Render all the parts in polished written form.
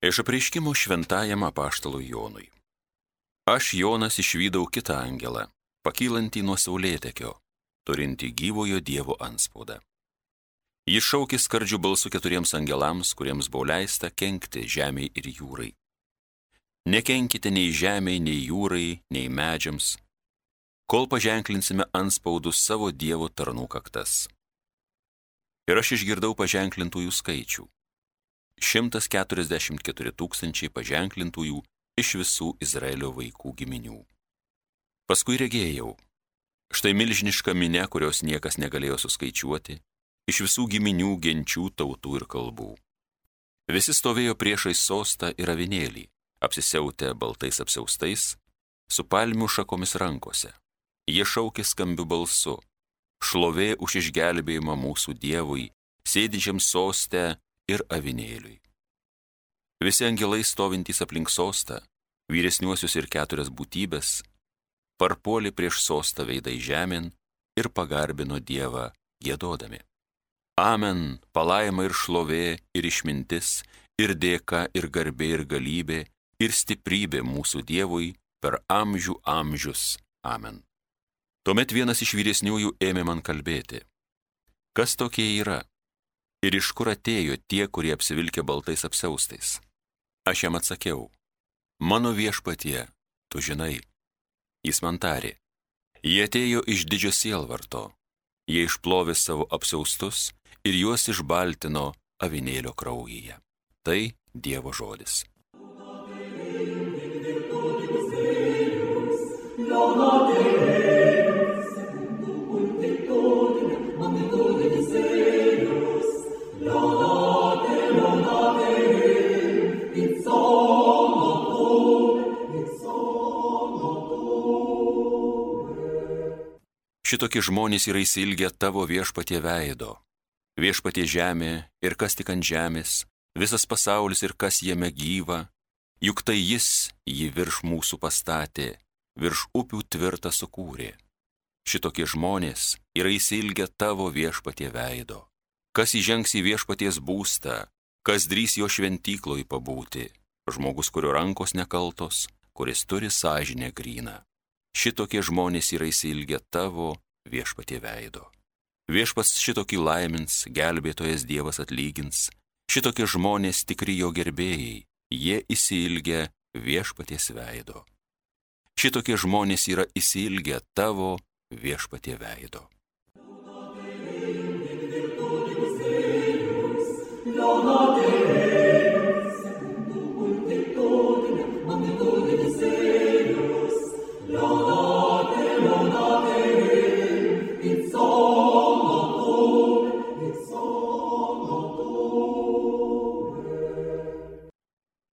Iš apreiškimo šventajam apaštalui Jonui. Aš, Jonas, išvydau kitą angelą, pakylantį nuo saulėtekio, turintį gyvojo Dievo antspaudą. Jis šaukė skardžiu balsu 4 angelams, kuriems buvo leista kenkti žemei ir jūrai. Nekenkite nei žemei, nei jūrai, nei medžiams, kol paženklinsime antspaudus savo Dievo tarnų kaktas. Ir aš išgirdau paženklintųjų skaičių. 144 000 paženklintųjų iš visų Izraelio vaikų giminių. Paskui regėjau, štai milžiniška minia, kurios niekas negalėjo suskaičiuoti, iš visų giminių, genčių, tautų ir kalbų. Visi stovėjo priešais sostą ir avinėlį, apsisiautę baltais apsiaustais, su palmių šakomis rankose. Jie šaukė skambiu balsu: šlovė už išgelbėjimą mūsų Dievui, sėdinčiam soste ir avinėliui. Visi angelai stovintys aplink sostą, vyresniuosius ir 4 būtybės, parpuolė prieš sostą veidai žemėn ir pagarbino Dievą giedodami: Amen, palaima ir šlovė, ir išmintis, ir dėka, ir garbė, ir galybė, ir stiprybė mūsų Dievui per amžių amžius. Amen. Tuomet vienas iš vyresniųjų ėmė man kalbėti: kas tokie yra ir iš kur atėjo tie, kurie apsivilkė baltais apsiaustais? Aš jam atsakiau: mano viešpatie, tu žinai. Jis man tarė: jie atėjo iš didžio sielvarto, jie išplovė savo apsiaustus ir juos išbaltino avinėlio kraujyje. Tai Dievo žodis. Šitokie žmonės yra įsilgę tavo viešpatie veido. Viešpatie žemė ir kas tik ant žemės, visas pasaulis ir kas jame gyva, juk tai jis jį virš mūsų pastatė, virš upių tvirtą sukūrė. Šitokie žmonės yra įsilgę tavo viešpatie veido. Kas įžengs į viešpaties būstą, kas drįs jo šventykloj pabūti, žmogus, kurio rankos nekaltos, kuris turi sąžinę gryną. Šitokie žmonės yra įsilgę tavo viešpatie veido. Viešpats šitokį laimins, gelbėtojas Dievas atlygins. Šitokie žmonės tikri jo gerbėjai, jie įsilgę viešpaties veido. Šitokie žmonės yra įsilgę tavo viešpatie veido.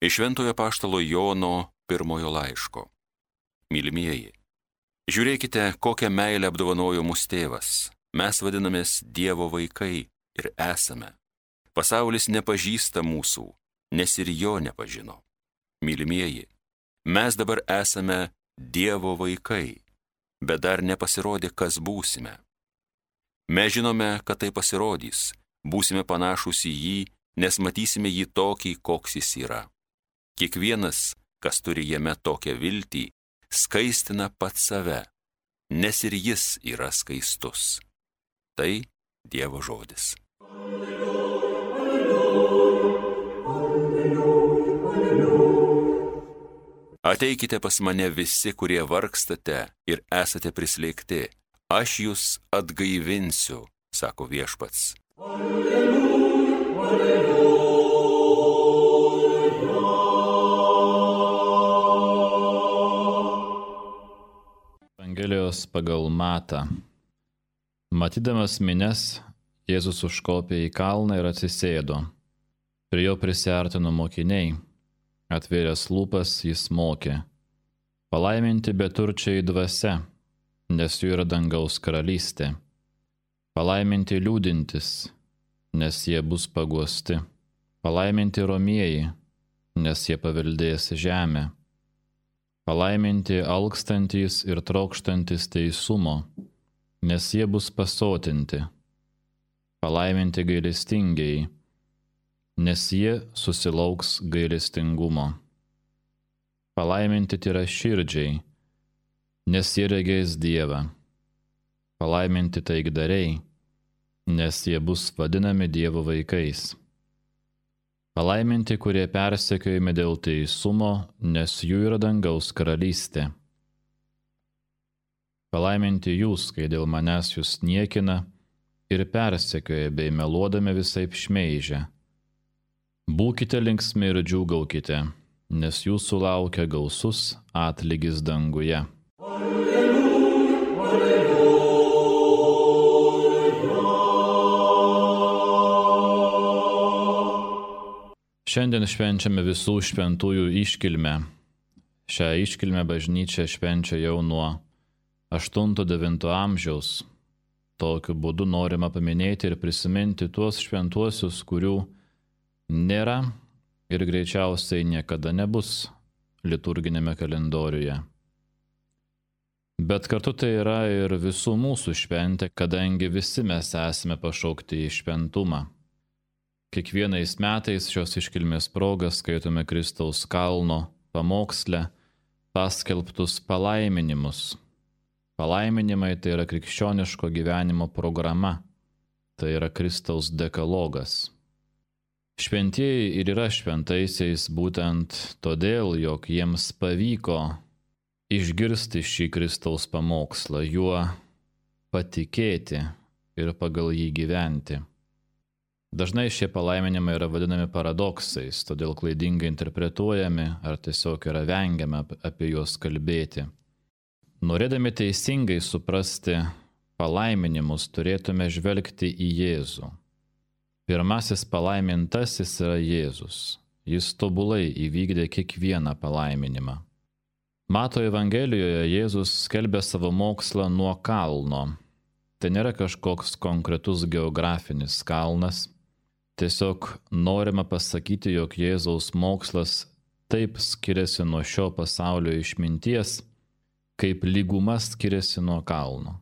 Iš Šventojo apaštalo Jono 1 laiško. Mylimieji, žiūrėkite, kokią meilę apdovanojo mus tėvas. Mes vadinamės Dievo vaikai ir esame. Pasaulis nepažįsta mūsų, nes ir jo nepažino. Mylimieji, mes dabar esame Dievo vaikai, bet dar nepasirodė, kas būsime. Mes žinome, kad tai pasirodys, būsime panašūs į jį, nes matysime jį tokį, koks jis yra. Kiekvienas, kas turi jame tokią viltį, skaistina pats save, nes ir jis yra skaistus. Tai Dievo žodis. Ateikite pas mane visi, kurie vargstate ir esate prislėgti. Aš jūs atgaivinsiu, sako viešpats. Alleluja, alleluja. Evangelijos pagal Matą. Matydamas minias, Jėzus užkopė į kalną ir atsisėdo. Prie jo prisiartino mokiniai. Atvėręs lūpas jis mokė: palaiminti beturčiai dvasia, nes jų yra dangaus karalystė. Palaiminti liūdintys, nes jie bus paguosti. Palaiminti romieji, nes jie paveldės žemę. Palaiminti alkstantys ir trokštantys teisumo, nes jie bus pasotinti. Palaiminti gailestingieji, nes jie susilauks gailestingumo. Palaiminti tyraširdžiai, nes jie regės Dievą. Palaiminti taikdariai, nes jie bus vadinami Dievo vaikais. Palaiminti, kurie persekiojami dėl teisumo, nes jų yra dangaus karalystė. Palaiminti jūs, kai dėl manęs jūs niekina ir persekioja bei meluodami visaip šmeižia. Būkite linksmi ir džiūgaukite, nes jūsų laukia gausus atlygis danguje. Šiandien švenčiame visų šventųjų iškilmę. Šią iškilmę bažnyčia švenčia jau nuo 8-9 amžiaus. Tokiu būdu norima paminėti ir prisiminti tuos šventuosius, kurių nėra ir greičiausiai niekada nebus liturginėme kalendoriuje. Bet kartu tai yra ir visų mūsų šventė, kadangi visi mes esame pašaukti į šventumą. Kiekvienais metais šios iškilmės proga skaitome Kristaus kalno pamoksle paskelbtus palaiminimus. Palaiminimai tai yra krikščioniško gyvenimo programa, tai yra Kristaus dekalogas. Šventieji ir yra šventaisiais būtent todėl, jog jiems pavyko išgirsti šį Kristaus pamokslą, juo patikėti ir pagal jį gyventi. Dažnai šie palaiminimai yra vadinami paradoksais, todėl klaidingai interpretuojami ar tiesiog yra vengiama apie juos kalbėti. Norėdami teisingai suprasti palaiminimus, turėtume žvelgti į Jėzų. Pirmasis palaimintasis yra Jėzus. Jis tobulai įvykdė kiekvieną palaiminimą. Mato Evangelijoje Jėzus skelbia savo mokslą nuo kalno. Tai nėra kažkoks konkretus geografinis kalnas. Tiesiog norima pasakyti, jog Jėzaus mokslas taip skiriasi nuo šio pasaulio išminties, kaip lyguma skiriasi nuo kalno.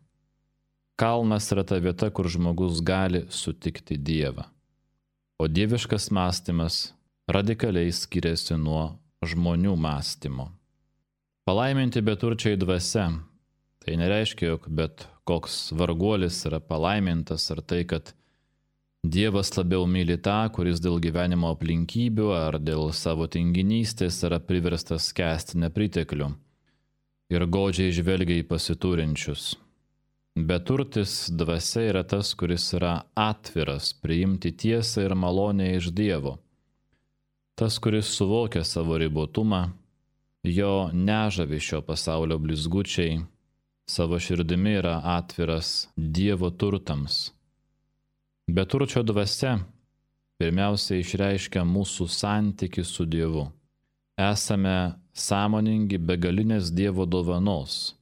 Kalnas yra ta vieta, kur žmogus gali sutikti Dievą. O dieviškas mąstymas radikaliai skiriasi nuo žmonių mąstymo. Palaiminti beturčiai dvasia. Tai nereiškia, jog bet koks varguolis yra palaimintas ar tai, kad Dievas labiau myli tą, kuris dėl gyvenimo aplinkybių ar dėl savo tinginystės yra priverstas kęsti nepriteklių ir godžiai žvelgia į pasiturinčius. Beturtis dvasia yra tas, kuris yra atviras priimti tiesą ir malonę iš Dievo. Tas, kuris suvokia savo ribotumą, jo nežavi šio pasaulio blizgučiai, savo širdimi yra atviras Dievo turtams. Beturčio dvasia pirmiausia išreiškia mūsų santykį su Dievu. Esame sąmoningi begalinės Dievo dovanos.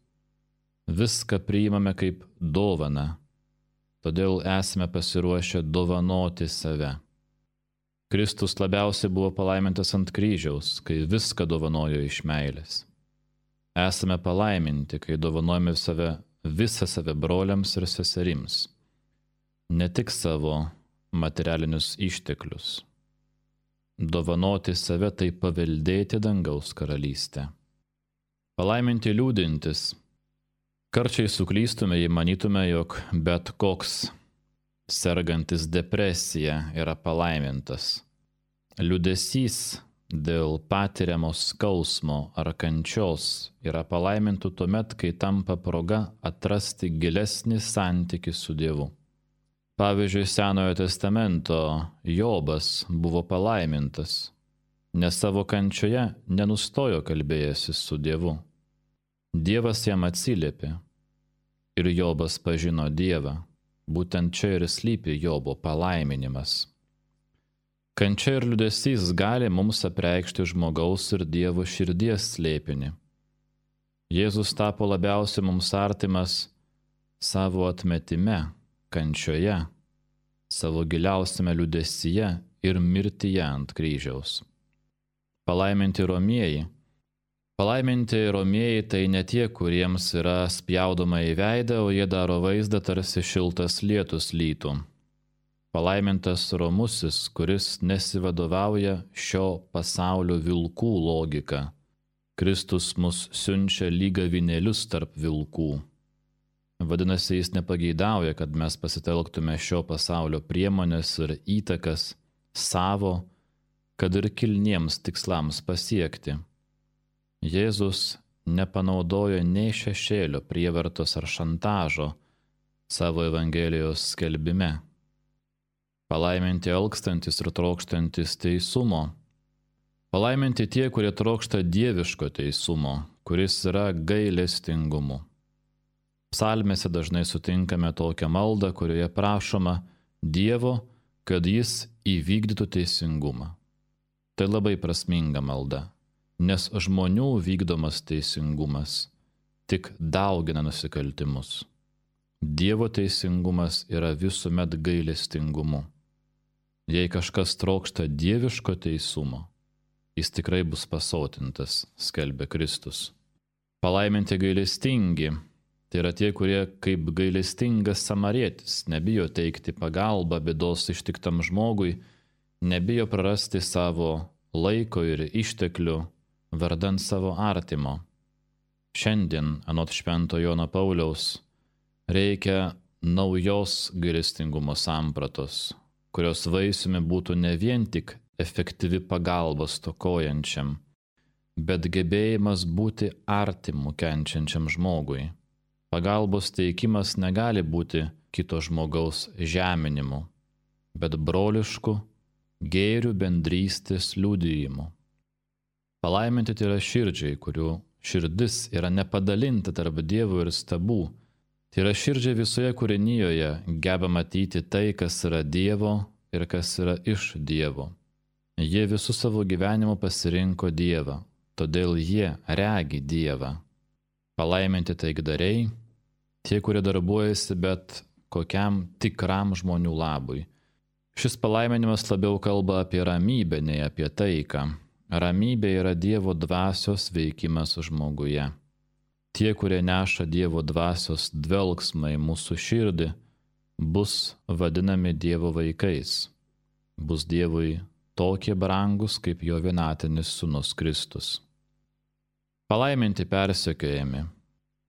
Viską priimame kaip dovaną, todėl esame pasiruošę dovanoti save. Kristus labiausiai buvo palaimintas ant kryžiaus, kai viską dovanojo iš meilės. Esame palaiminti, kai dovanojame visą save broliams ir seserims. Ne tik savo materialinius išteklius. Dovanoti save tai paveldėti dangaus karalystę. Palaiminti liūdintis. Karčiai suklystume, jei manytume, jog bet koks sergantis depresija yra palaimintas. Liūdesys dėl patiriamo skausmo ar kančios yra palaimintų tuomet, kai tampa proga atrasti gilesnį santykį su Dievu. Pavyzdžiui, Senojo testamento Jobas buvo palaimintas, nes savo kančioje nenustojo kalbėjęsis su Dievu. Dievas jam atsiliepė ir Jobas pažino Dievą. Būtent čia ir slypi Jobo palaiminimas. Kančia ir liūdesys gali mums apreikšti žmogaus ir Dievo širdies slėpinį. Jėzus tapo labiausiai mums artimas savo atmetime, kančioje, savo giliausiame liūdesyje ir mirtyje ant kryžiaus. Palaiminti romieji. Palaiminti romieji tai ne tie, kuriems yra spjaudoma į veidą, o jie daro vaizdą, tarsi šiltas lietus lytų. Palaimintas romusis, kuris nesivadovauja šio pasaulio vilkų logika. Kristus mus siunčia lyg avinėlius tarp vilkų. Vadinasi, jis nepageidauja, kad mes pasitelktume šio pasaulio priemonės ir įtakas savo, kad ir kilniems tikslams pasiekti. Jėzus nepanaudojo nei šešėlio, prievartos ar šantažo savo Evangelijos skelbime. Palaiminti alkstantis ir trokštantis teisumo. Palaiminti tie, kurie trokšta dieviško teisumo, kuris yra gailestingumu. Psalmėse dažnai sutinkame tokią maldą, kurioje prašoma Dievo, kad jis įvykdytų teisingumą. Tai labai prasminga malda, nes žmonių vykdomas teisingumas tik daugina nusikaltimus. Dievo teisingumas yra visuomet gailestingumu. Jei kažkas trokšta dieviško teisumo, jis tikrai bus pasotintas, skelbia Kristus. Palaiminti gailestingi, tai yra tie, kurie kaip gailestingas samarietis nebijo teikti pagalbą bėdos ištiktam žmogui, nebijo prarasti savo laiko ir išteklių vardan savo artimo. Šiandien, anot Švento Jono Pauliaus, reikia naujos gailestingumo sampratos, kurios vaisiumi būtų ne vien tik efektyvi pagalba stokojančiam, bet gebėjimas būti artimu kenčiančiam žmogui. Pagalbos teikimas negali būti kito žmogaus žeminimu, bet brolišku, gėrių bendrystės liudijimu. Palaiminti tai yra širdžiai, kurių širdis yra nepadalinta tarp Dievo ir stabų. Tai yra širdžiai visoje kūrinijoje geba matyti tai, kas yra Dievo ir kas yra iš Dievo. Jie visų savo gyvenimu pasirinko Dievą, todėl jie regi Dievą. Palaiminti taikdariai, tie, kurie darbuojasi bet kokiam tikram žmonių labui. Šis palaiminimas labiau kalba apie ramybę, nei apie taiką. Ramybė yra Dievo dvasios veikimas žmoguje. Tie, kurie neša Dievo dvasios dvelgsmą į mūsų širdį, bus vadinami Dievo vaikais. Bus Dievui tokie brangus, kaip jo vienatinis Sūnus Kristus. Palaiminti persekiojami.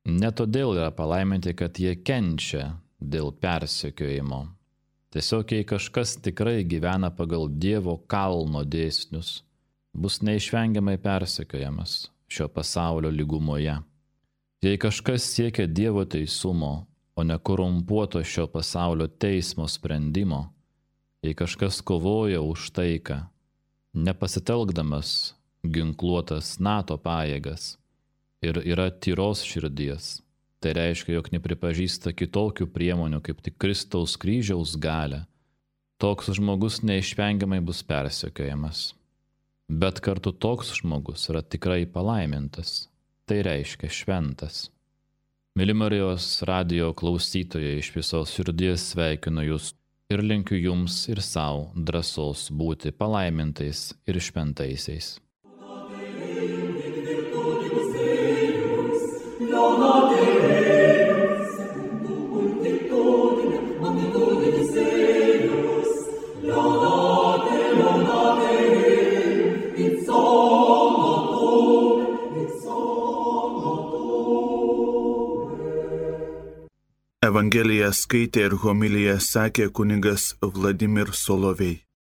Ne todėl yra palaiminti, kad jie kenčia dėl persekiojimo. Tiesiog, jei kažkas tikrai gyvena pagal Dievo kalno dėsnius, bus neišvengiamai persekiojamas šio pasaulio lygumoje. Jei kažkas siekia Dievo teisumo, o ne korumpuoto šio pasaulio teismo sprendimo, jei kažkas kovoja už taiką, nepasitelkdamas ginkluotas NATO pajėgas ir yra tyros širdies, tai reiškia, jog nepripažįsta kitokių priemonių kaip tik Kristaus kryžiaus galią, toks žmogus neišvengiamai bus persekiojamas. Bet kartu toks žmogus yra tikrai palaimintas, tai reiškia šventas. Myli Marijos radijo klausytojai, iš visos širdies sveikinu jūs ir linkiu jums ir savo drąsos būti palaimintais ir šventaisiais. Evangeliją skaitė ir homiliją sakė kunigas Vladimir Solovej.